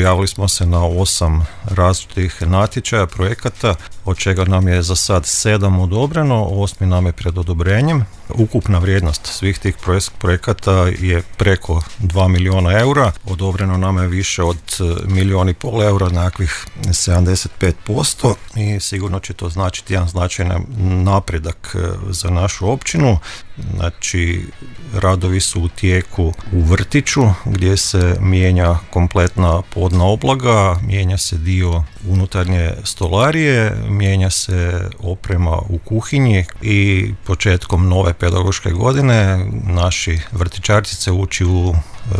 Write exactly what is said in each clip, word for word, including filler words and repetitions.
prijavili smo se na osam različitih natječaja, projekata, od čega nam je za sad sedam odobreno, osmi nam je pred odobrenjem. Ukupna vrijednost svih tih projekata je preko dva milijuna eura, odobreno nam je više od milijun i pol eura, nekakvih sedamdeset pet posto, i sigurno će to značiti jedan značajan napredak za našu općinu. Znači, radovi su u tijeku u vrtiću gdje se mijenja kompletna podna obloga, mijenja se dio unutarnje stolarije, mijenja se oprema u kuhinji i početkom nove pedagoške godine naši vrtićarci uči u e,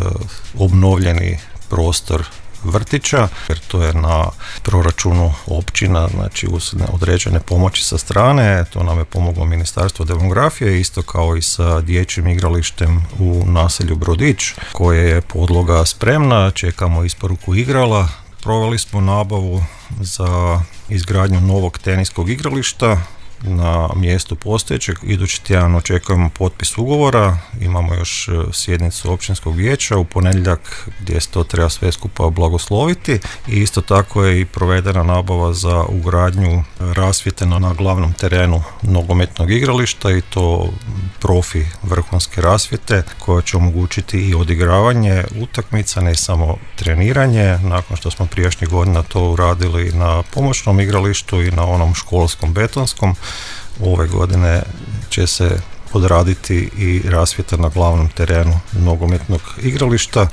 obnovljeni prostor vrtića, jer to je na proračunu općina, znači uz određene pomoći sa strane. To nam je pomoglo Ministarstvo demografije, isto kao i sa dječjim igralištem u naselju Brodić, koje je podloga spremna, čekamo isporuku igrala. Proveli smo nabavu za izgradnju novog teniskog igrališta na mjestu postojećeg. Idući tjedan očekujemo potpis ugovora, imamo još sjednicu općinskog vijeća u ponedjeljak gdje se to treba sve skupa blagosloviti, i isto tako je i provedena nabava za ugradnju rasvjete na glavnom terenu nogometnog igrališta, i to profi vrhunske rasvjete koja će omogućiti i odigravanje utakmica, ne samo treniranje, nakon što smo prijašnjih godina to uradili na pomoćnom igralištu i na onom školskom betonskom. Ove godine će se odraditi i rasvjeta na glavnom terenu nogometnog igrališta.